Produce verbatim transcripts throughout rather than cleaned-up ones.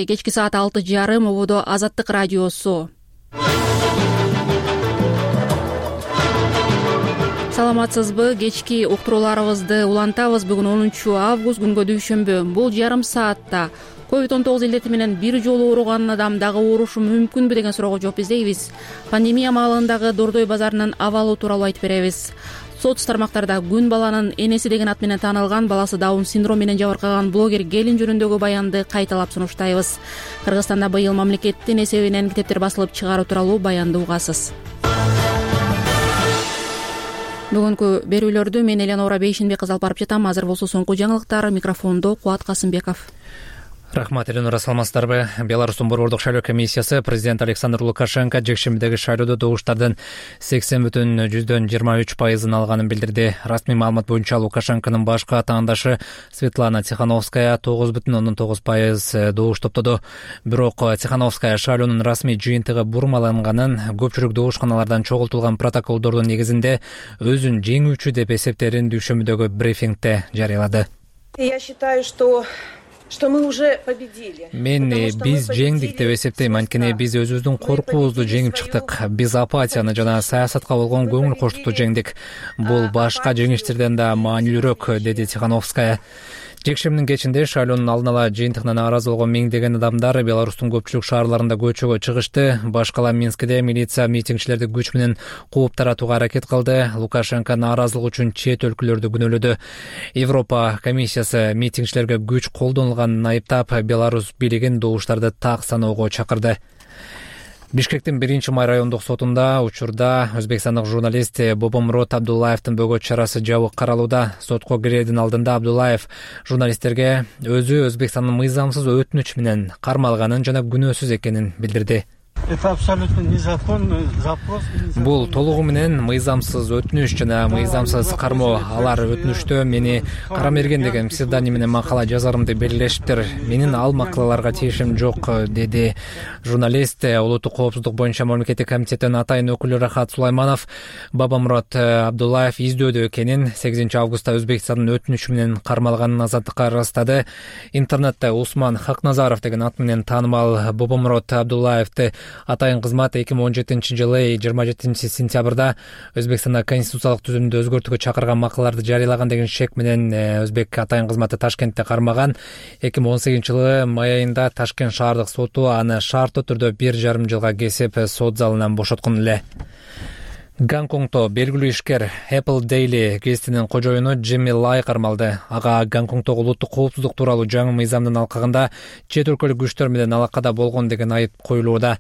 Кечки саат алты жарым ободо Азаттык радиосу. Саламатсызбы? Кечки уктурууларыбызды улантабыз. Бүгүн онунчу август, күнгө дүйшөмбү. Бул жарым саатта ковид он тогуз илдети менен бир жолу ооруган адам дагы оорушу мүмкүнбү деген суроого жооп издейбиз. Пандемия маалындагы Дордой базарынын абалы тууралуу айтып беребиз. Соц тармактарда күн баланын энеси деген ат менен таанылган, баласы даун синдрому менен жабыркаган блогер Келин жөнүндөгү баянды кайталап сунуштайбыз. Кыргызстанда быйыл мамлекеттин эсебинен китептер басылып чыгаруу тууралуу баянды угасыз. Бүгүнкү берүүлөрдү мен Эленора Бейшенбек кызы алып барып жатам. Азыр болсо соңку жаңылыктар. Микрофондо Кубат Касымбеков. Рахмат, Эленора, саламатсыздарбы? Беларустун борбордук шайлоо комиссиясы президент Александр Лукашенко жекшембидеги шайлоодо добуштардын сексен бүтүн жүздөн жыйырма үч пайызын алганын билдирди. Расмий маалымат боюнча Лукашенконун башкы атаандашы Светлана Тихановская тогуз бүтүн ондон тогуз пайыз добуш топтоду. Бирок Тихановская шайлоонун расмий жыйынтыгы бурмаланганын, көпчүлүк добушканалардан чогултулган протоколдордун негизинде өзүн жеңүүчү деп эсептерин дүйшөмбүдөгү брифингде жарыялады. Я считаю, что что мы уже победили. Мен биз жеңдик деп эсептейм, анткени биз өзүбүздүн коркуубузду жеңип чыктык. Биз апатияны жана саясатка болгон көңүл коштукту жеңдик. Бул башка жеңиштерден да маанилүүрөөк, деди Тихановская. Жекшемдин кечинде шайлоонун алдын ала жыйынтыгына нааразы болгон миңдеген адамдар Беларустун көпчүлүк шаарларында көчөгө чыгышты. Башкала Минскиде милиция митингчилерди күч менен кууп таратууга аракет кылды. Лукашенко нааразылык үчүн чет өлкөлөрдү күнөөлөдү. Европа комиссиясы митингчилерге күч колдонулганын айыптап, Беларусь бийлигин добуштарды так саноого чакырды. Бишкектин биринчи май райондук сотунда учурда өзбекстандык журналист Бобомурод Абдуллаевдин бөгөт чарасы жабык каралууда. Сотко кирердин алдында Абдуллаев журналисттерге өзү Өзбекстандын мыйзамсыз өтүнүч менен кармалганын жана күнөөсүз экенин билдирди. Это абсолютно незаконный запрос. Бул толугу менен мыйзамсыз өтүнүч жана мыйзамсыз кармоо. Алар өтүнүчтө мени Карамерген деген псевдоним менен макала жазарымды белгилешиптир. Менин ал макалаларга тиешим жок, деди журналист. Улуттук коопсуздук боюнча мамлекеттик комитеттин атайын өкүлү Рахат Сулайманов Бобомурод Абдуллаев издөөдө экенин, сегизинчи августта Өзбекстандын өтүнүчү менен кармалганын азаттыкка ырастады. Интернетте Усман Хакназаров деген ат менен таанымал Бобомурод Абдуллаевди атайын кызмат эки миң он жетинчи жылы жыйырма жетинчи сентябрда Өзбекстанда конституциялык түзүмдү өзгөртүүгө чакырган макалаларды жарыялаган деген шек менен Өзбек атайын кызматы Ташкентте кармаган. эки миң он сегизинчи жылы май айында Ташкент шаардык соту аны шарттуу түрдө бир жарым жылга кесип сот залынан бошоткон эле. Гонконгто белгилүү ишкер Apple Daily гезитинин кожоюну Джимми Лай кармалды. Ага Гонконгдогу улуттук коопсуздук тууралуу жаңы мыйзамдын алкагында чет өлкөлүк күчтөр менен алакада болгон деген айып коюлууда.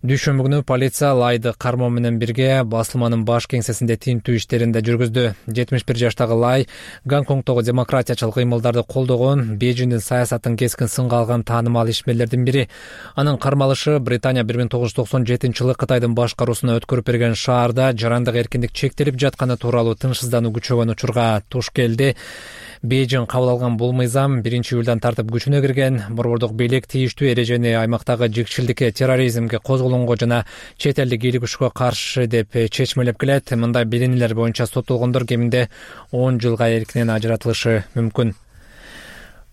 Дүйшөмбү күнү полиция Лайды кармоо менен бирге басылманын баш кеңсесинде тинтүү иштерин да жүргүздү. жетимиш бир жаштагы Лай Гонконгдогу демократиячыл кыймылдарды колдогон, Бейжиңдин саясатын кескин сынга алган таанымал ишмерлердин бири. Анын кармалышы Британия бир миң тогуз жүз токсон жетинчи жылы Кытайдын башкаруусуна өткөрүп берген шаарда жарандык эркиндик чектелип жатканы тууралуу тынчсыздануу күчөгөн учурга туш келди. Бейжиң кабыл алган бул мыйзам биринчи июлдан тартып күчүнө кирген. Борбордук бийлик тийиштүү эрежени аймактагы жикчилдикке, терроризмге, козголоңго жана чет элдик ийгилик күчкө каршы деп чечмелеп келет. Мындай билинилер боюнча соттолгондор кеминде он жылга эркинен ажыратылышы мүмкүн.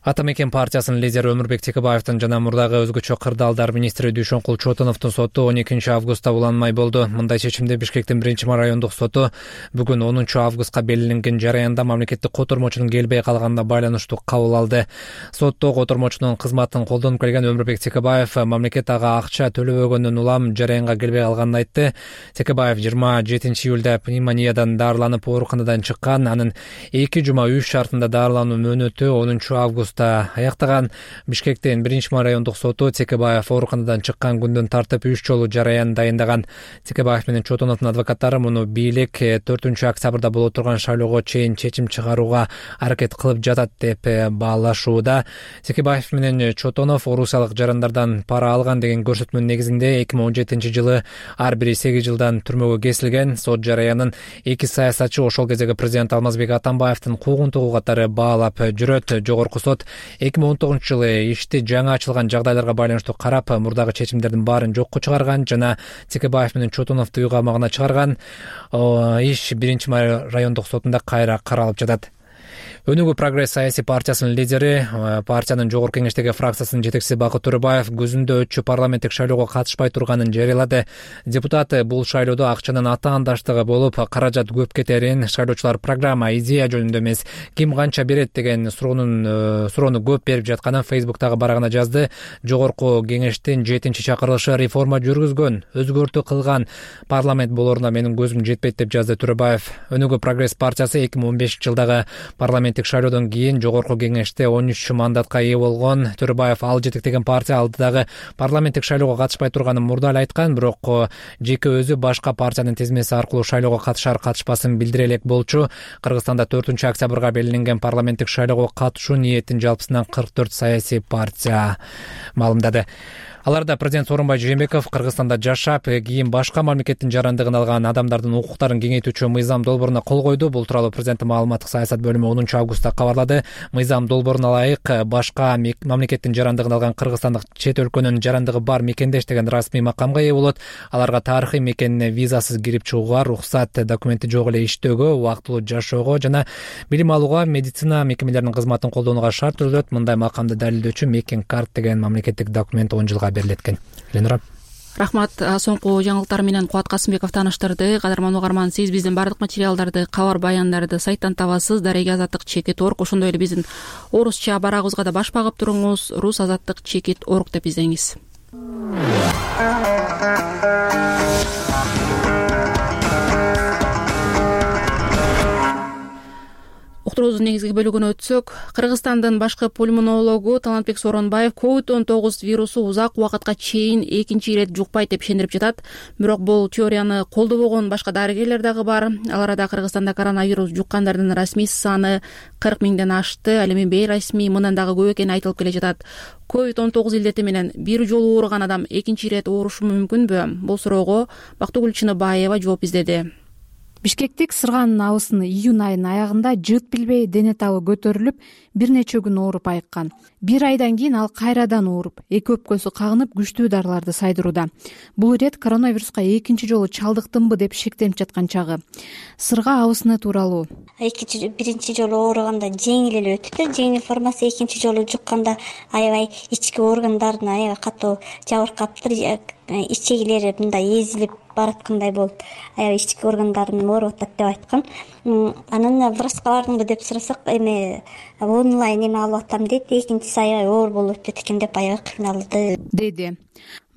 Ата мекен партиясынын лидери Өмүрбек Текебаевдин жана мурдагы өзгөчө кырдаалдар министри Дүйшөнкул Чотоновдун соту он экинчи августта уланмай болду. Мындай чечимди Бишкектин биринчи май райондук соту бүгүн онунчу августка белгиленген жараянда мамлекеттик котормочунун келбей калганына байланыштуу кабыл алды. Сотто котормочунун кызматын колдонуп келген Өмүрбек Текебаев мамлекет ага акча төлөбөгөндөн улам жараянга келбей калганын айтты. Текебаев жыйырма жетинчи июлда пневмониядан дарыланып ооруканадан чыккан. Анын эки жума үй шартында дарылануу мөөнөтү онунчу август аяктаган. Бишкектин биринчи май райондук соту Текебаев ооруканадан чыккан күндөн тартып үч жолу жараян дайындаган. Текебаев менен Чотоновдун адвокаттары муну бийлик төртүнчү октябрда боло турган шайлоого чейин чечим чыгарууга аракет кылып жатат деп баалашууда. Текебаев менен Чотонов орусиялык жарандардан пара алган деген көрсөтмөнүн негизинде эки миң он жетинчи жылы ар бири сегиз жылдан түрмөгө кесилген. Сот жараянын эки саясатчы ошол кездеги президент Алмазбек Атамбаевдин куугунтугу катары баалап жүрөт. Жогорку сот эки миң он тогузунчу жылы ишти жаңы ачылган жагдайларга байланыштуу карап, мурдагы чечимдердин баарын жокко чыгарган жана Текебаев менен Чотоновду үй камагына чыгарган. Иш биринчи май райондук сотунда кайра каралып жатат. Өнүгүү прогресс саясий партиясынын лидери, партиянын жогорку кеңештеги фракциясынын жетекчиси Бакыт Төрөбаев күзүндө өтчү парламенттик шайлоого катышпай турганын жарыялады. Депутат бул шайлоодо акчанын атаандаштыгы болуп, каражат көп кетерин, шайлоочулар программа, идея жөнүндө эмес, ким канча берет деген суроонун суроону көп берип жатканын Фейсбуктагы барагына жазды. Жогорку кеңештин жетинчи чакырылышы реформа жүргүзгөн, өзгөртүү кылган парламент болоруна менин көзүм жетпейт деп жазды Төрөбаев. Өнүгүү прогресс партиясы эки миң он бешинчи жылдагы парламент шайлоодон кийин жогорку кеңеште он үч мандатка ээ болгон. Төрөбаев ал жетектеген партия алдыдагы парламенттик шайлоого катышпай турганын мурда эле айткан, бирок жеке өзү башка партиянын тизмеси аркылуу шайлоого катышар катышпасын билдире элек болчу. Кыргызстанда төртүнчү октябрга белгиленген парламенттик шайлоого катышуу ниетин жалпысынан кырк төрт саясий партия маалымдады. Аларда президент Сооронбай Жээнбеков Кыргызстанда жашап, кийин башка мамлекеттин жарандыгын алган адамдардын укуктарын кеңейтүүчү мыйзам долбооруна кол койду. Бул тууралуу президенттин маалыматтык саясат бөлүмү онунчу августта кабарлады. Мыйзам долбооруна ылайык башка мамлекеттин жарандыгын алган кыргызстандык чет өлкөнүн жарандыгы бар мекендеш деген расмий макамга ээ болот. Аларга тарыхый мекенине визасыз кирип чыгууга, рухсат документи жок эле иштөөгө, убактылуу жашоого жана билим алууга, медицина мекемелеринин кызматын колдонууга шарт түзүлөт. Мындай макамды далилдөөчү мекен карт деген мамлекеттик документ он жылга берилеткен. Ленура. Рахмат. Соңку жаңылыктар менен Кубат Касымбеков тааныштырды. Кадырман угарман, сиз биздин бардык материалдарды, кабар баяндарды сайттан табасыз. Дареги азаттык чекит орг, ошондой эле биздин орусча барагыбызга да баш багып туруңуз. Рус азаттык чекит орг деп издеңиз. Уктуруубуздун негизги бөлүгүнө өтсөк, Кыргызстандын башкы пульмонологу Талантбек Сооронбаев ковид он тогуз вирусу узак убакытка чейин экинчи ирет жукпайт деп ишендирип жатат. Бирок бул теорияны колдобогон башка дарыгерлер дагы бар. Ал арада Кыргызстанда коронавирус жуккандардын расмий саны кырк миңден ашты. Ал эми бейрасмий мындан дагы көп экени айтылып келе жатат. ковид он тогуз илдети менен бир жолу ооруган адам экинчи ирет оорушу мүмкүнбү? Бул суроого Бактыгүл Чыныбаева жооп издеди. Бишкектик сыргаанын абысын июнь айынын аягында жыт билбей дене табы көтөрүлүп, бир нече күн ооруп айыккан. Бир айдан кийин ал кайрадан ооруп, эки өпкөсү кагынып күчтүү дарыларды сайдырууда. Бул ирет коронавируска экинчи жолу чалдыктымбы деп шектенип жаткан чагы. Сырга абысыны тууралуу. Экинчи биринчи жолу ооруганда жеңил эле өтүптү. Жеңил формасы, экинчи жолу жукканда аябай ички органдарын аябай катуу жабыркаптыр. Ичегилери мындай эзилип бараткандай болуп, аябай ички органдарын ооруп атат деп айткан. Анан врачка бардыңбы деп сурасак, эми онлайн эме алып атам дейт. Экинчиси аябай оор болуп өтөт экен деп аябай кыйналды, деди.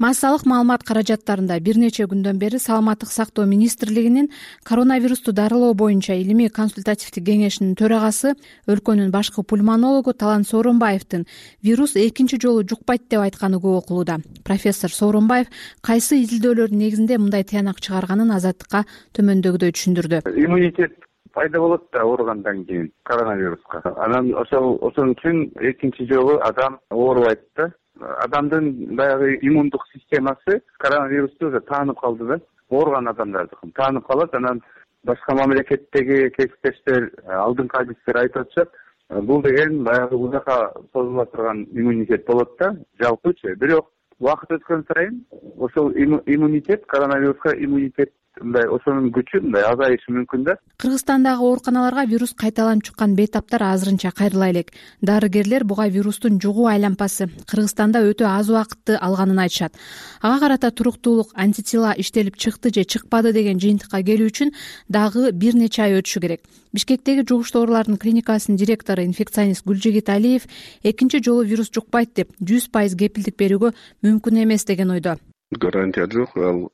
Массалык маалымат каражаттарында бир нече күндөн бери Саламаттык сактоо министрлигинин коронавирусту дарылоо боюнча илимий консультативдик кеңешинин төрагасы, өлкөнүн башкы пульмонологу Талант Сооронбаевдин вирус экинчи жолу жукпайт деп айтканы көп окулууда. Профессор Сооронбаев кайсы изилдөөлөрдүн негизинде мындай тыянак чыгарганын Азаттыкка төмөндөгүдөй түшүндүрдү. Иммунитет пайда болот да ооругандан кийин коронавируска. Анан ошол ошон үчүн экинчи жолу адам оорубайт да. Адамдын баягы иммундук системасы коронавирусту уже таанып калды да. Ооруган адамдардыкын таанып калат. Анан башка мамлекеттеги кесиптештер, алдыңкы адистер айтып атышат, бул деген баягы узакка созула турган иммунитет болот да, жалпычы. Бирок убакыт өткөн сайын ошол иммунитет, коронавируска иммунитет мындай ошонун күчү мындай азайышы мүмкүн да. Кыргызстандагы ооруканаларга вирус кайталанып чыккан бейтаптар азырынча кайрыла элек. Дарыгерлер буга вирустун жугуу айланпасы Кыргызстанда өтө аз убакытты алганын айтышат. Ага карата туруктуулук, антитела иштелип чыкты же чыкпады деген жыйынтыкка келүү үчүн дагы бир нече ай өтүшү керек. Бишкектеги жугуштуу оорулардын клиникасынын директору инфекционист Гүлжигит Алиев экинчи жолу вирус жукпайт деп жүз пайыз кепилдик берүүгө мүмкүн эмес деген ойдо. Гарантия жок, ал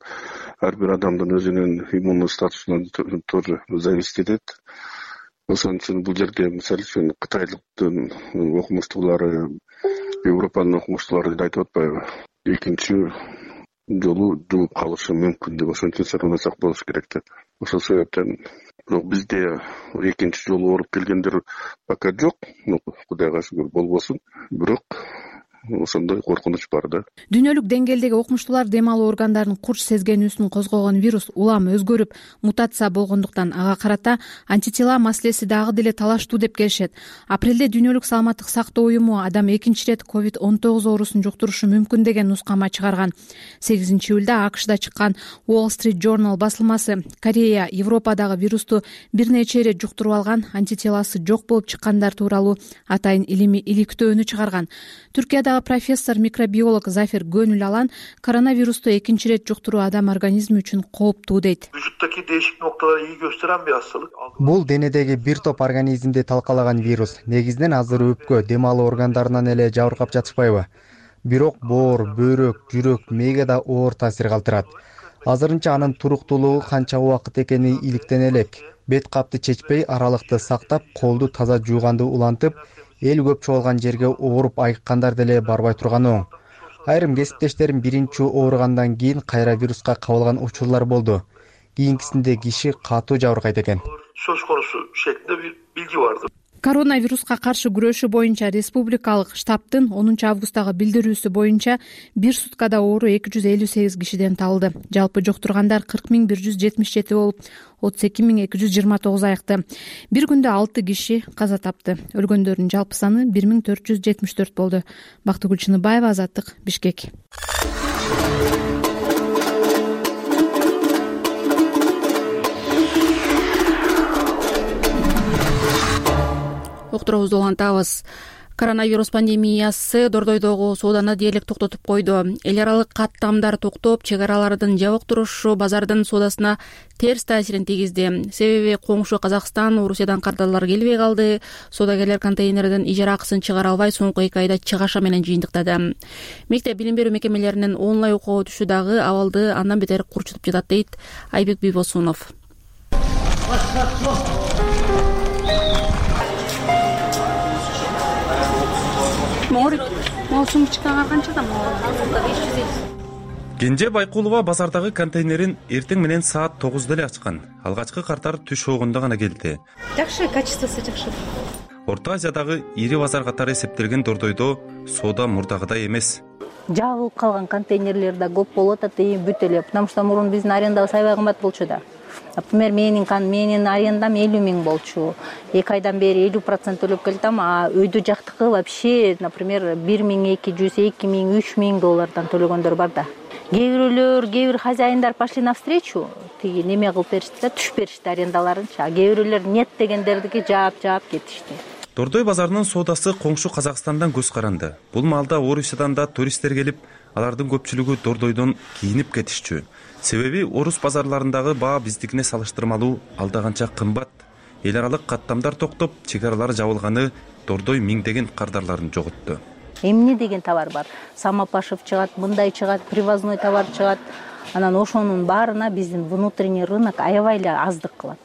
ар бир адамдын өзүнүн иммундук статусунан тоже зависит этет. Ошон үчүн бул жерде мисалы үчүн Кытайлыктын окумуштуулары, Европанын окумуштуулары айтып атпайбы, экинчи жолу жугуп калышы мүмкүн деп, ошон үчүн сактансак болуш керек деп. Ошол себептен бизде экинчи жолу ооруп келгендер пока жок, Кудайга шүгүр болбосун. Бирок ошондой коркунуч бар да. Дүйнөлүк деңгээлдеги окумуштуулар дем алуу органдарынын курч сезгенүүсүн козгогон вирус улам өзгөрүп, мутация болгондуктан ага карата антитела маселеси дагы деле талаштуу деп келишет. Апрелде Дүйнөлүк саламаттык сактоо уюму адам экинчи ирет ковид он тогуз оорусун жуктурушу мүмкүн деген нускама чыгарган. сегизинчи июлда АКШда чыккан Wall Street Journal басылмасы Корея, Европадагы вирусту бир нече ирет жуктуруп алган, антителасы жок болуп чыккандар тууралуу атайын илимий иликтөөнү чыгарган. Түркиядагы профессор микробиолог Зафир Гөнүл Алан коронавирусту экинчи ирет жуктуруу адам организми үчүн кооптуу дейт. Vücuttaki değişik noktalara iyi gösteren bir hastalık. Бул денедеги бир топ организмди талкалаган вирус. Негизинен азыр өпкө, дем алуу органдарынан эле жабыркап жатышпайбы? Бирок боор, бөйрөк, жүрөк, мээге да оор таасир калтырат. Азырынча анын туруктуулугу канча убакыт экени иликтене элек. Бет капты чечпей, аралыкты сактап, колду таза жууганды улантып, эл көп чогулган жерге ооруп айыккандар деле барбай турган оң. Айрым кесиптештерим биринчи ооругандан кийин кайра вируска кабылган учурлар болду. Кийинкисинде киши катуу жабыркайт экен. Söz konusu şeklinde bir bilgi vardı. Коронавируска каршы күрөшүү боюнча республикалык штабтын онунчу августтагы билдирүүсү боюнча бир суткада оору эки жүз элүү сегиз кишиден табылды. Жалпы жуктургандар кырк миң бир жүз жетимиш жети болуп, отуз эки миң эки жүз жыйырма тогуз айыкты. Бир күндө алты киши каза тапты. Өлгөндөрдүн жалпы саны бир миң төрт жүз жетимиш төрт болду. Бактыгүл Чыныбаева, Азаттык, Бишкек. Уктуруубузду улантабыз. Коронавирус пандемиясы Дордойдогу сооданы дээрлик токтотуп койду. Эл аралык каттамдар токтоп, чек аралардын жабык турушу базардын соодасына терс таасирин тийгизди. Себеби коңшу Казакстан, Орусиядан кардарлар келбей калды. Соодагерлер контейнерден ижара акысын чыгара албай, соңку эки айда чыгаша менен жыйынтыктады. Мектеп билим берүү мекемелеринин онлайн окууга өтүшү дагы абалды андан бетер курчутуп жатат дейт Айбек Бийбосунов. Кенже Байкулова базардагы контейнерин эртең менен саат тогузда эле ачкан. Алгачкы картар түш огунда гана келди. Жакшы, качествосу жакшы. Орто Азиядагы ири базар катары эсептелген Дордойдо соода мурдагыдай эмес. Жабылып калган контейнерлер да көп болуп атат, бүт эле. Потому что мурун биздин арендабыз аябай кымбат болчу да. Например, менин менин арендам элүү миң болчу. эки айдан бери элүү процент төлөп келдим, а өйдө жактыкы вообще, например, бир миң эки жүз, эки миң, үч миң доллардан төлөгөндөр бар да. Кээ бирөөлөр, кээ бир хозяиндар пошли навстречу, тиги неме кылып беришти да, түшүп беришти арендаларынчы. А кээ бирөөлөр нет дегендердики жаап-жаап кетишти. Дордой базарынын соодасы коңшу Казакстандан көз каранды. Бул маалда Орусиядан да туристтер келип, алардын көпчүлүгү Дордойдон кийинип кетишчү. Себеби орус базарларындагы баа биздикине салыштырмалуу алдаганча кымбат. Эл аралык каттамдар токтоп, чек аралар жабылганы Дордой миңдеген кардарларын жоготту. Эмне деген товар бар? Самопашев чыгат, мындай чыгат, привозной товар чыгат. Анан ошонун баарына биздин внутренний рынок аябай эле аздык кылат.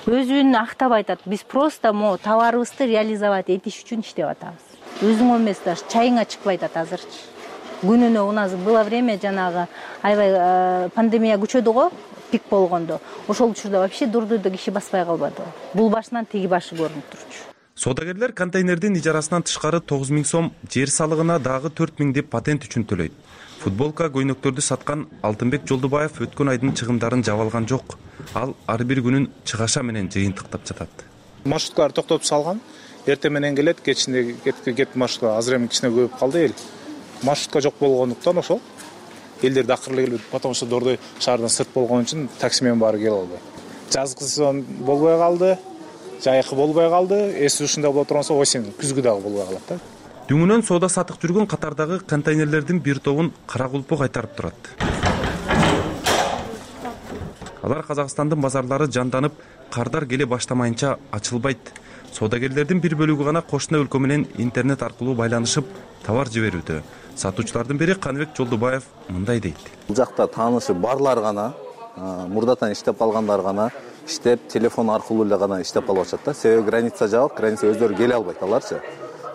Өзүн актап айтат, биз просто мо товарыбызды реализовать этиш үчүн иштеп атабыз. Өзүң эмес даже чайыңа чыкпай атат азырчы. Күнүнө у нас было время жанагы аябай пандемия күчөдү го, пик болгондо. Ошол учурда вообще Дордойдо киши баспай калбады. Бул башынан тиги башы көрүнүп турчу. Соодагерлер контейнердин ижарасынан тышкары тогуз миң сом, жер салыгына дагы төрт миң деп патент үчүн төлөйт. Футболка, көйнөктөрдү саткан Алтынбек Жолдубаев өткөн айдын чыгымдарын жаба алган жок. Ал ар бир күнүн чыгаша менен жыйынтыктап жатат. Маршруткалар токтотуп салган. Эртең менен келет, кечинде кеткен маршрутка азыр эми кичине көбөйүп калды эл. Маршрутка жок болгондуктан ошол элдер дакыр эле келбейт. Потому что Дордой шаардан сырт болгон үчүн такси менен баары келе албайт. Жазгы сезон болбой калды, жайкы болбой калды, эс ушундай боло турганса осень, күзгү дагы болбой калат да. Дүңүнөн соода сатык жүргөн катардагы контейнерлердин бир тобун кара кулпу кайтарып турат. Алар Казакстандын базарлары жанданып, кардар келе баштамайынча ачылбайт. Соодагерлердин бир бөлүгү гана кошуна өлкө менен интернет аркылуу байланышып, товар жиберүүдө. Сатуучулардын бири Каныбек Жолдубаев мындай дейт. Бул жакта таанышы барлар гана, мурдатан иштеп калгандар гана, иштеп телефон аркылуу эле гана иштеп калып атышат да. Себеби граница жабык, граница өздөрү келе албайт аларчы.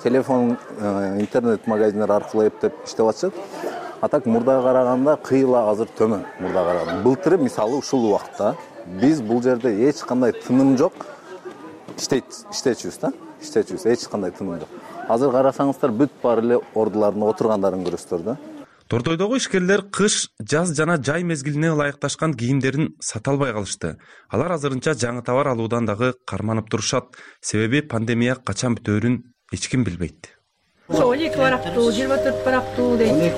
Телефон, интернет магазиндер аркылуу эптеп иштеп атышат. А так мурдага караганда кыйла азыр төмөн мурдага караганда. Былтыр мисалы ушул убакта биз бул жерде эч кандай тыным жок иштейт, иштечүбүз да. Иштечүбүз, эч кандай тыным жок. азыр карасаңыздар бүт баары эле ордулардын отургандарын көрөсүздөр да. Тордойдогу ишкерлер кыш, жаз жана жай мезгилине ылайыкташкан кийимдерин сата албай калышты. Алар азырынча жаңы товар алуудан дагы карманып турушат. Себеби пандемия качан бүтөөрүн эч ким билбейт. он эки барактуу, жыйырма төрт барактуу дейт.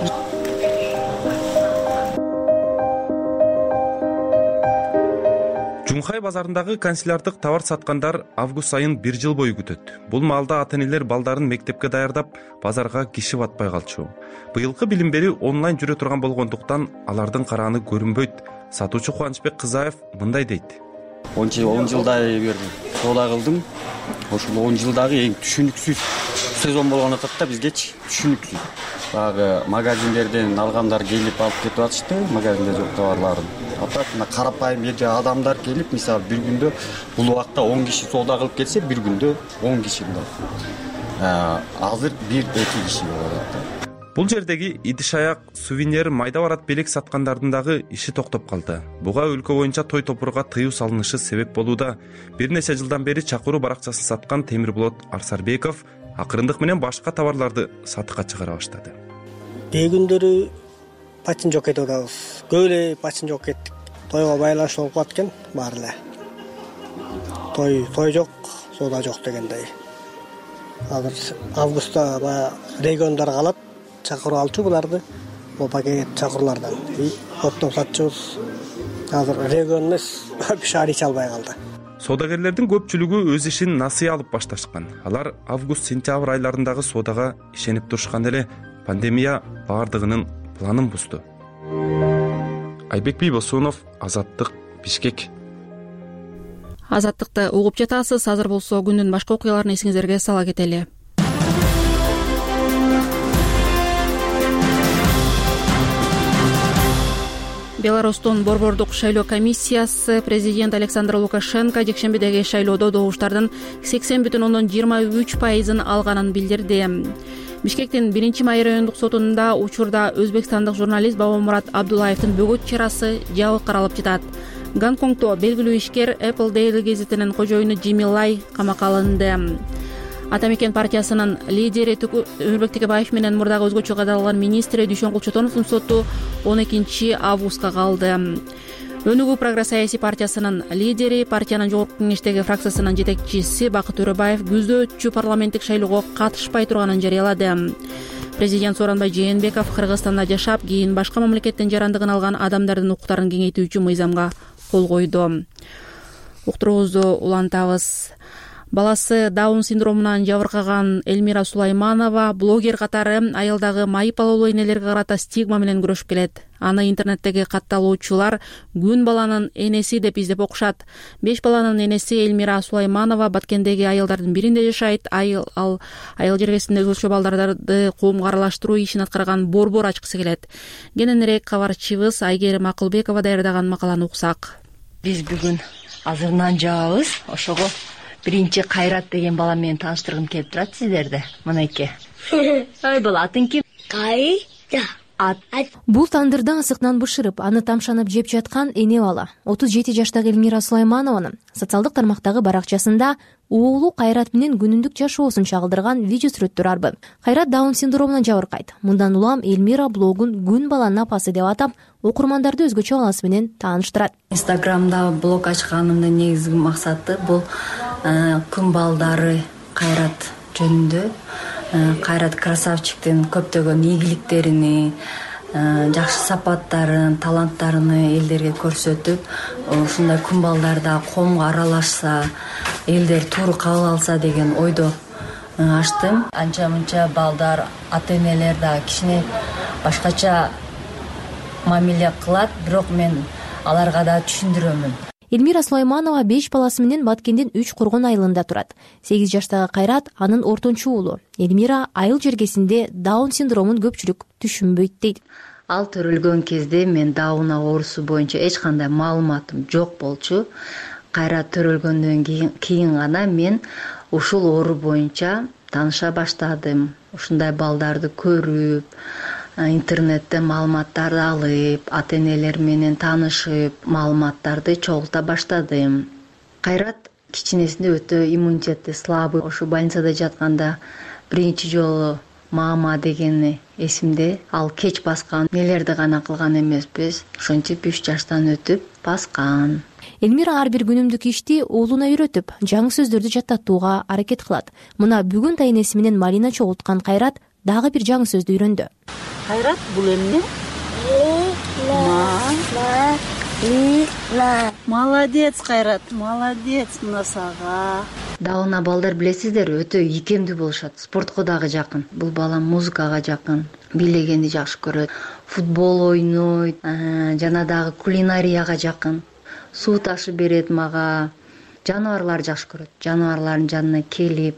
Жумхай базарындагы канцелярлык товар саткандар август айын бир жыл бою күтөт. Бул маалда ата-энелер балдарын мектепке даярдап, базарга киши батпай калчу. Быйылкы билим берүү онлайн жүрө турган болгондуктан алардын карааны көрүнбөйт. Сатуучу Кубанычбек Кызаев мындай дейт. он жылдай бир соода кылдым. Ошол он жылдагы эң түшүнүксүз сезон болгон атат да бизгечи түшүнүксүз. Багы магазиндерден алгандар келип алып кетип атышты, магазинде жок товарларын. Атат мына карапайым эже адамдар келип, мисалы бир күндө бул убакта он киши соода кылып кетсе, бир күндө он киши мындай. Азыр бир эки киши болот. Бул жердеги идиш-аяк, сувенир, майда барат белек саткандардын дагы иши токтоп калды. Буга өлкө боюнча той топурга тыюу салынышы себеп болууда. Бир нече жылдан бери чакыруу баракчасын саткан Темирболот Арсарбеков акырындык менен башка товарларды сатыкка чыгара баштады. Кээ күндөрү пачин жок кетип атабыз. Көп эле пачин жок кеттик. Тойго байланыштуу болуп калат экен баары эле. Той, той жок, соода жок дегендей. Азыр августта баягы региондар калат. Чакыруу алчу буларды, бул пакет чакыруулардан. Оптон сатчубуз. Азыр регион эмес, шаар ич албай калды. Соодагерлердин көпчүлүгү өз ишин насыя алып башташкан. Алар август-сентябрь айларындагы соодага ишенип турушкан эле пандемия баардыгынын планын бузду. Айбек Бийбосунов, Азаттык, Бишкек. Азаттыкты угуп жатасыз. Азыр болсо күндүн башка окуяларын эсиңиздерге сала кетели. Беларустун борбордук шайлоо комиссиясы президент Александр Лукашенко жекшембидеги шайлоодо добуштардын сексен бүтүн ондон жыйырма үч пайызын алганын билдирди. Бишкектин биринчи май райондук сотунда учурда өзбекстандык журналист Бабамурат Абдуллаевдин бөгөт чарасы жабык каралып жатат. Гонконгдо белгилүү ишкер Apple Daily гезитинин кожоюну Джимми Лай камакка алынды. Ата мекен партиясынын лидери Өмүрбек Текебаев менен мурдагы өзгөчө кадалган министри Дүйшөн Кулчотоновдун соту он экинчи августка калды. Өнүгүү прогресс саясий партиясынын лидери, партиянын жогорку кеңештеги фракциясынын жетекчиси Бакыт Төрөбаев күздө өтчү парламенттик шайлоого катышпай турганын жарыялады. Президент Сооронбай Жээнбеков Кыргызстанда жашап, кийин башка мамлекеттен жарандыгын алган адамдардын укуктарын кеңейтүүчү мыйзамга кол койду. Уктуруубузду улантабыз. Баласы Даун синдромунан жабыркаган Эльмира Сулайманова блогер катары айылдагы майып алуулуу энелерге карата стигма менен күрөшүп келет. Аны интернеттеги катталуучулар күн баланын энеси деп издеп окушат. Беш баланын энеси Эльмира Сулайманова Баткендеги айылдардын биринде жашайт. Айыл ал айыл жергесинде өзгөчө балдарды коомго аралаштыруу ишин аткарган борбор ачкысы келет. Кененирээк кабарчыбыз Айгерим Акылбекова даярдаган макаланы уксак. Биз бүгүн азыр нан жаабыз. Ошого биринчи Кайрат деген бала менен тааныштыргым келип турат сиздерди. Мынайке. Ой, бала атың ким? Кайра. Бул тандырда асыктан бышырып, аны тамшанып жеп жаткан эне бала отуз жети жаштагы Эльмира Сулайманованын социалдык тармактагы баракчасында уулу Кайрат менен күнүндүк жашоосун чагылдырган видео сүрөттөр арбы. Кайрат Даун синдромунан жабыркайт. Мындан улам Эльмира блогун күн баланын апасы деп атап, окурмандарды өзгөчө баласы менен тааныштырат. Инстаграмда блог ачканымдын негизги максаты бул күн балдары Кайрат жөнүндө, Кайрат красавчиктин көптөгөн ийгиликтерини, жакшы сапаттарын, таланттарын элдерге көрсөтүп, ушундай күн балдарда коомго аралашса, элдер туура кабыл алса деген ойдо ачтым. Анча-мынча балдар, ата-энелер да кичине башкача мамиле кылат, бирок мен аларга да түшүндүрөмүн. Эльмира Сулайманова беш баласы менен Баткендин үч Коргон айылында турат. сегиз жаштагы Кайрат анын ортончу уулу. Эльмира айыл жергесинде Даун синдромун көпчүлүк түшүнбөйт дейт. Ал төрөлгөн кезде мен Даун оорусу боюнча эч кандай маалыматым жок болчу. Кайрат төрөлгөндөн кийин гана мен ушул оору боюнча тааныша баштадым. Ушундай балдарды көрүп, интернеттен маалыматтарды алып, ата-энелер менен таанышып, маалыматтарды чогулта баштадым. Кайрат кичинесинде өтө иммунитети слабый. Ошо больницада жатканда биринчи жолу мама дегени эсимде. Ал кеч баскан нелерди гана кылган эмеспиз, ошентип үч жаштан өтүп баскан. Элмира ар бир күнүмдүк ишти уулуна үйрөтүп, жаңы сөздөрдү жаттатууга аракет кылат. Мына бүгүн тайнеси менен Малина чогулткан Кайрат дагы бир жаңы сөздү үйрөндү. Кайрат, бул эмне? Молодец, Кайрат, молодец, мына сага. Дауна балдар билесиздер, өтө ийкемдүү болушат. Спортко дагы жакын. Бул балам музыкага жакын, бийлегенди жакшы көрөт, футбол ойнойт, жана дагы кулинарияга жакын. Суу ташы берет мага. Жаныбарларды жакшы көрөт. Жаныбарлардын жанына келип,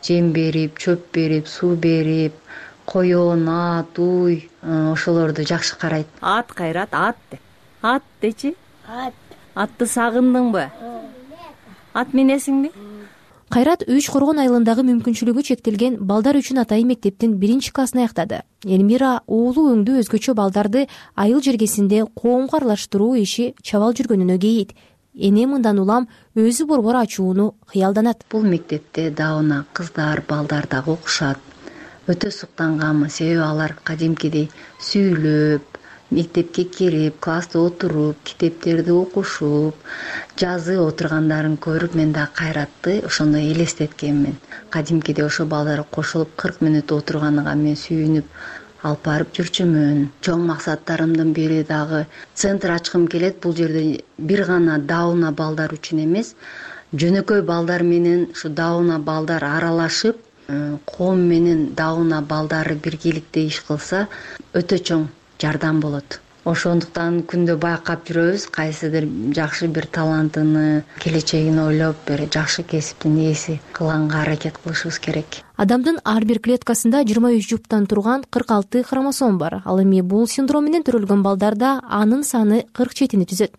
жем берип, чөп берип, суу берип, коён, ат, уй, ошолорду жакшы карайт. Ат, Кайрат, ат де. Ат дечи? Ат. Атты сагындыңбы? Ат минесиңби? Кайрат Үч Коргон айылындагы мүмкүнчүлүгү чектелген балдар үчүн атайын мектептин биринчи классын аяктады. Элмира уулу өңдүү өзгөчө балдарды айыл жергесинде коомго аралаштыруу иши чабал жүргөнүнө кейийт. Эне мындан улам өзү борбор ачууну кыялданат. Бул мектепте дауна кыздар, балдар дагы окушат. Өтө суктанганмын, себеби алар кадимкидей сүйлөп, мектепке кирип, класста отуруп, китептерди окушуп, жазып отургандарын көрүп мен да Кайратты ошондой элестеткенмин. Кадимкидей ошо балдар кошулуп кырк мүнөт отурганына мен сүйүнүп алып барып жүрчүмүн. Чоң максаттарымдын бири дагы центр ачкым келет. Бул жерде бир гана дауна балдар үчүн эмес, жөнөкөй балдар менен ушу дауна балдар аралашып, коом менен дауна балдары биргеликте иш кылса, өтө чоң жардам болот. Ошондуктан күндө байкап жүрөбүз, кайсыдыр жакшы бир талантыны, келечегин ойлоп, бир жакшы кесиптин ээси кылганга аракет кылышыбыз керек. Адамдын ар бир клеткасында жыйырма үч жуптан турган кырк алты хромосом бар. Ал эми бул синдром менен төрөлгөн балдарда анын саны кырк жетини түзөт.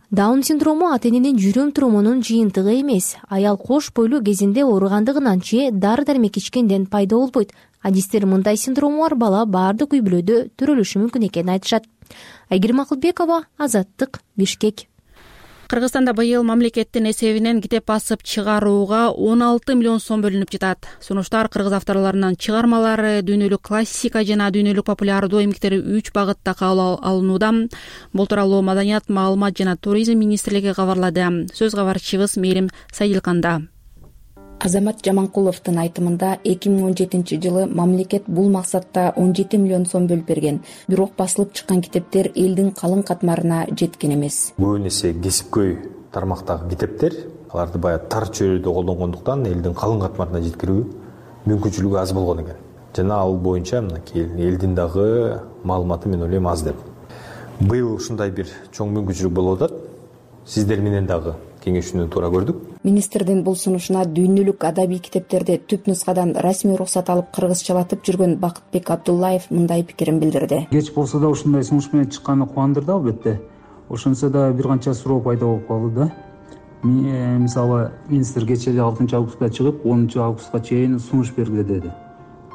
Даун синдрому ата-эненин жүрөм туруmunун жыйынтыгы эмес, аял кош бойлуу кезинде ооругандыгынан же дары-дармек ичкенден пайда болбойт. Адистер мындай синдрому бар бала баардык үй бүлөдө төрөлүшү мүмкүн экенин айтышат. Айгерим Акылбекова, Азаттык, Бишкек. Кыргызстанда быйыл мамлекеттин эсебинен китеп басып чыгарууга он алты миллион сом бөлүнүп жатат. Сунуштар кыргыз авторлорунун чыгармалары дүйнөлүк классика жана дүйнөлүк популярдуу эмгектери үч багытта кабыл алынууда. Бул тууралуу Маданият, маалымат жана туризм министрлиги кабарлады. Сөз кабарчыбыз Мээрим Сайдилканда. Азамат Жаманкуловдун айтымында эки миң он жетинчи жылы мамлекет бул максатта он жети миллион сом бөлүп берген. Бирок басылып чыккан китептер элдин калың катмарына жеткен эмес. Көбүн эсе кесипкөй тармактагы китептер, аларды баягы тар чөйрөдө колдонгондуктан элдин калың катмарына жеткирүү мүмкүнчүлүгү аз болгон экен. Жана ал боюнча мынакей элдин дагы маалыматы мен ойлойм аз деп. Быйыл ушундай бир чоң мүмкүнчүлүк болуп атат. Сиздер менен дагы кеңешүүнү туура көрдүк. Министрдин бул сунушуна дүйнөлүк адабий китептерди түп нускадан расмий уруксат алып кыргызчалатып жүргөн Бакытбек Абдуллаев мындай пикирин билдирди. Кеч болсо да ушундай сунуш менен чыкканы кубандырды албетте. Ошонсо да бир канча суроо пайда болуп калды да. Мисалы, министр кечээ эле алтынчы августта чыгып, онунчу августка чейин сунуш бергиле деди.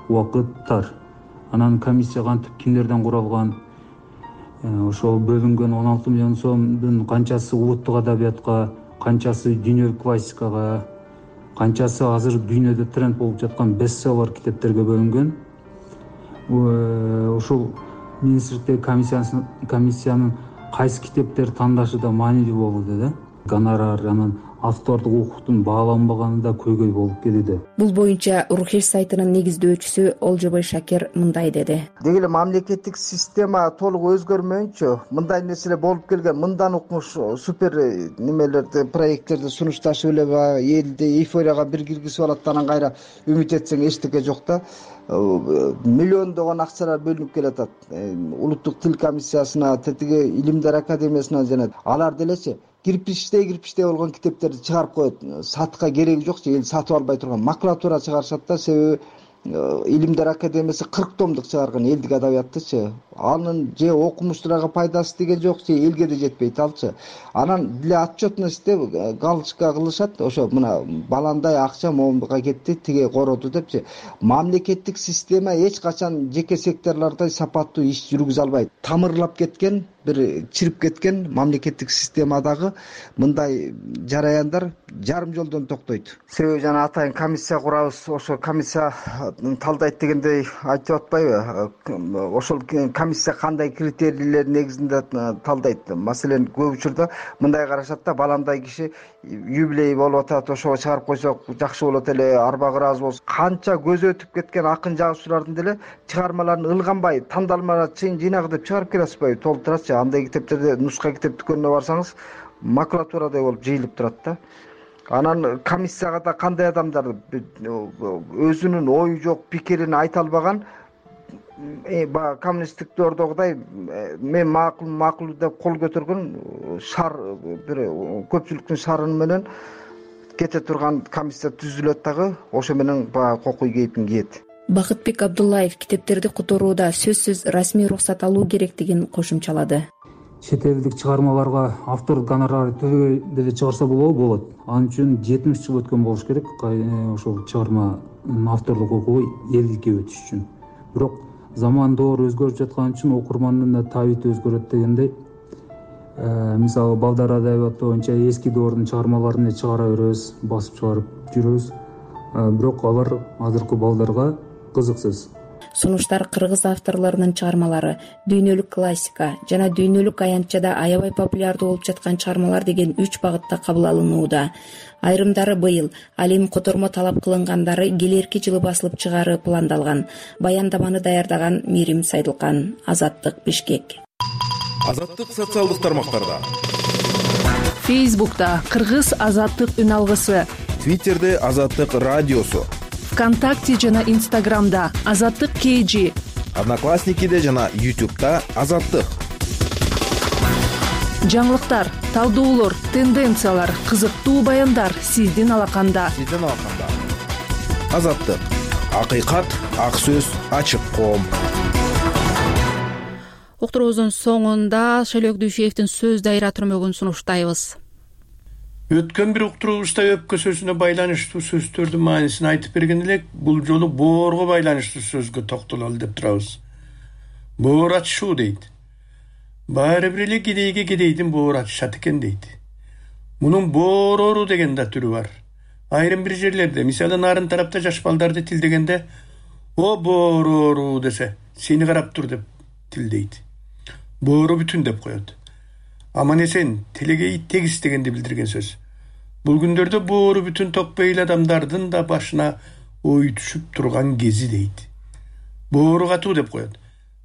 Убакыт тар. Анан комиссия кантип кимдерден куралган, ошол бөлүнгөн он алты миллион сомдун канчасы улуттук адабиятка, канчасы дүйнөлүк классикага, канчасы азыр дүйнөдө тренд болуп жаткан бестселлер китептерге бөлүнгөн. Ошол министрликтеги комиссиянын кайсы китептер тандашы да маанилүү болду да. Гонорар, анан автордук укуктун бааланбаганы да көйгөй болуп келүүдө. Бул боюнча Рухеш сайтынын негиздөөчүсү Олжобой Шакир мындай деди. Деги эле мамлекеттик система толук өзгөрмөйүнчө мындай нерселер болуп келген, мындан укмуш супер немелерди, проекттерди сунушташып эле элди эйфорияга бир киргизип алат, анан кайра үмүт этсең эчтеке жок да. Миллиондогон акчалар бөлүнүп келатат. Улуттук тил комиссиясына, тетиги Илимдер академиясына жана алар делечи кирпичтей кирпичтей болгон китептерди чыгарып коет. Сатка кереги жок, эл сатып албай турган макулатура чыгарышат да, себеби Илимдер академиясы кырк томдук чыгарган элдик адабияттычы. анын же окумуштууларга пайдасы тиген жок, же элге да жетпейт алчы. Анан для отчетность деп галочка кылышат, ошо мына баландай акча момунга кетти, тиге короду депчи. Мамлекеттик система эч качан жеке секторлордой сапаттуу иш жүргүзө албайт. Тамырлап кеткен, бир чирип кеткен мамлекеттик системадагы мындай жараяндар жарым жолдон токтойт. Себеби жана атайын комиссия курабыз, ошо комиссия талдайт дегендей айтып атпайбы? Ошол комиссия кандай критерийлер негизинде талдайт? Маселен, көп учурда мындай карашат да, баландай киши юбилей болуп атат, ошого чыгарып койсок жакшы болот эле, арба кырабыз болсо. Канча көзү өтүп кеткен акын жазуучулардын деле чыгармаларын ылганбай, тандалмалар чыйын жыйнагы деп чыгарып келе атпайбы? Толтурат. Андай китептерде нуска китеп дүкөнүнө барсаңыз макулатурадай болуп жыйылып турат да. Анан комиссияга да кандай адамдар өзүнүн ою жок, пикирин айта албаган, баягы коммунисттик дордогудай мен макул макул деп кол көтөргөн шар, бир көпчүлүктүн шарын менен кете турган комиссия түзүлөт дагы, ошо менен баягы кокуй кейпин кийет. Бакытбек Абдуллаев китептерди которууда сөзсүз расмий уруксат алуу керектигин кошумчалады. Чет элдик чыгармаларга автор гонорары төлөбөй деле чыгарса болобу? Болот. Ал үчүн жетимиш жыл өткөн болуш керек ошол чыгарманын авторлук укугу элдикке өтүш үчүн. Бирок заман доор өзгөрүп жаткан үчүн окурмандын да табити өзгөрөт дегендей. Мисалы Балдар адабияты боюнча эски доордун чыгармаларын эле чыгара беребиз, басып чыгарып жүрөбүз. Бирок алар азыркы балдарга кызыксыз. Сунуштар кыргыз авторлорунун чыгармалары дүйнөлүк классика жана дүйнөлүк аянтчада аябай популярдуу болуп жаткан чыгармалар деген үч багытта кабыл алынууда. Айрымдары быйыл, ал эми котормо талап кылынгандары келерки жылы басылып чыгаары пландалган. Баяндаманы даярдаган Мирим Сайдылкан, Азаттык, Бишкек. Азаттык социалдык тармактарда. Фейсбукта Кыргыз Азаттык үн алгысы, Твиттерде Азаттык радиосу, ВКонтакте жана Инстаграмда Азаттык кей жи, Одноклассникиде жана Ютубта Азаттык. Жаңылыктар, талдоолор, тенденциялар, кызыктуу баяндар сиздин алаканда. Сиздин алаканда. Азаттык. Акыйкат, ак сөз, ачык коом. Уктуруубуздун соңунда Шелек Дүйшеевдин сөз дайра түрмөгүн сунуштайбыз. Өткөн бир уктуруубузда өпкө сөзүнө байланыштуу сөздөрдүн маанисин айтып берген элек, бул жолу боорго байланыштуу сөзгө токтололу деп турабыз. Боор ачышуу дейт. Баары бир эле кедейге кедейдин боор ачышат экен дейт. Мунун боорору деген да түрү бар. Айрым бир жерлерде, мисалы нарын тарапта жаш балдарды тилдегенде «О боорору» десе, сени карап тур деп тилдейт. Боору бүтүн деп коет. Аман эсен, телеге ит тегис дегенди билдирген сөз. Бул күндөрдө боору бүтүн токпейл адамдардын да башына ой түшүп турган кези дейт. Боору катуу деп коет.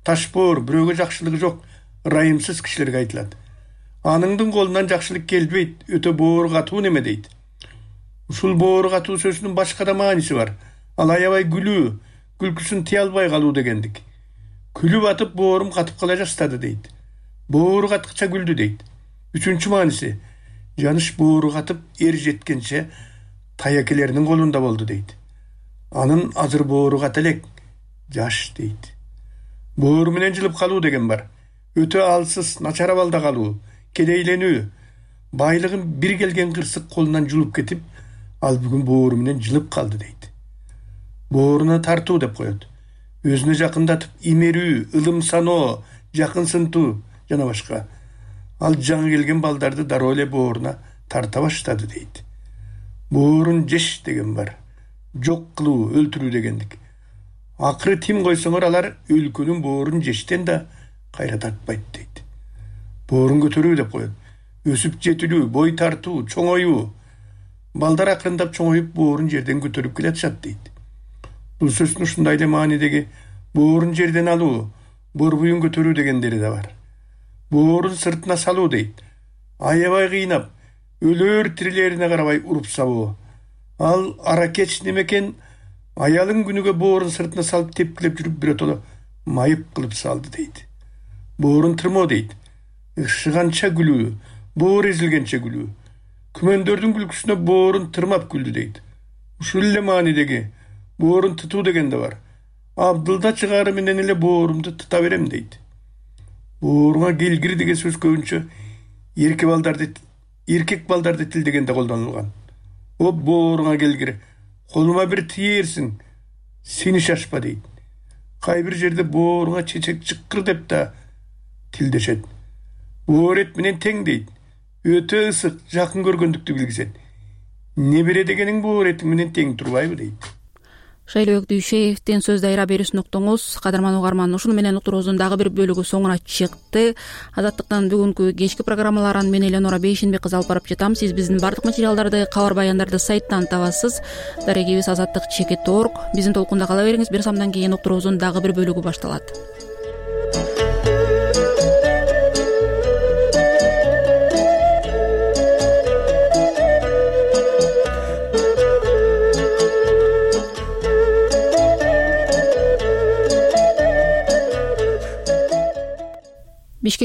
Таш боор бирөөгө жакшылыгы жок, ырайымсыз кишилерге айтылат. Аныңдын колунан жакшылык келбейт, өтө боору катуу неме дейт. Ушул боору катуу сөзүнүн башка да мааниси бар. Ал аябай күлүү, күлкүсүн тыя албай калуу дегендик. Күлүп атып боорум катып кала жастады дейт. Боору каткыча күлдү дейт. Үчүнчү мааниси, жаныш боору катып эр жеткенче таякелеринин колунда болду дейт. Анын азыр боору ката элек, жаш дейт. Боору менен жылып калуу деген бар. Өтө алсыз, начар абалда калуу, кедейленүү, байлыгын бир келген кырсык колунан жулуп кетип, ал бүгүн боору менен жылып калды дейт. Бооруна тартуу деп коет. Өзүнө жакындатып имерүү, ылым саноо, жакынсынтуу жана башка. Ал жаңы келген балдарды дароо эле бооруна тарта баштады дейт. Боорун жеш деген бар. Жок кылуу, өлтүрүү дегендик. Акыры тим койсоңор алар өлкөнүн боорун жештен да кайра тартпайт дейт. Боорун көтөрүү деп коет. Өсүп жетилүү, бой тартуу, чоңоюу. Балдар акырындап чоңоюп боорун жерден көтөрүп келатышат дейт. Бул сөздүн ушундай эле маанидеги боорун жерден алуу, борбуюн көтөрүү дегендери да бар. Боорун сыртына салуу дейт. Аябай кыйнап, өлөр тирилерине карабай уруп сабоо. Ал аракеч немекен, аялын күнүгө боорун сыртына салып тепкилеп жүрүп биротоло майып кылып салды дейт. Боорун тырмоо дейт. Ышыганча күлүү, боор эзилгенче күлүү. Күмөндөрдүн күлкүсүнө боорун тырмап күлдү дейт. Ушул эле маанидеги боорун тытуу деген да бар. Абдылда чыгаары менен эле боорумду тыта берем дейт. Бооруңа келгир деген сөз көбүнчө эркек балдарды эркек балдарды тилдегенде колдонулган. О бооруңа келгир, колума бир тиерсиң, сени шашпа дейт. Кай бир жерде бооруңа чечек чыккыр деп да тилдешет. Боор эт менен тең дейт. Өтө ысык, жакын көргөндүктү билгизет. Небере дегениң боор эти менен тең турбайбы дейт. Шайлоок Дүйшеевдин сөз дайра берүүсүн уктуңуз. Кадырман угарман, ушуну менен уктуруубуздун дагы бир бөлүгү соңуна чыкты. Азаттыктын бүгүнкү кечки программаларын мен Эленора Бейшенбек кызы алып барып жатам. Сиз биздин бардык материалдарды, кабар баяндарды сайттан табасыз. Дарегибиз азаттык чекит точка орг. Биздин толкунда кала бериңиз. Бир самдан кийин уктуруубуздун дагы бир бөлүгү башталат.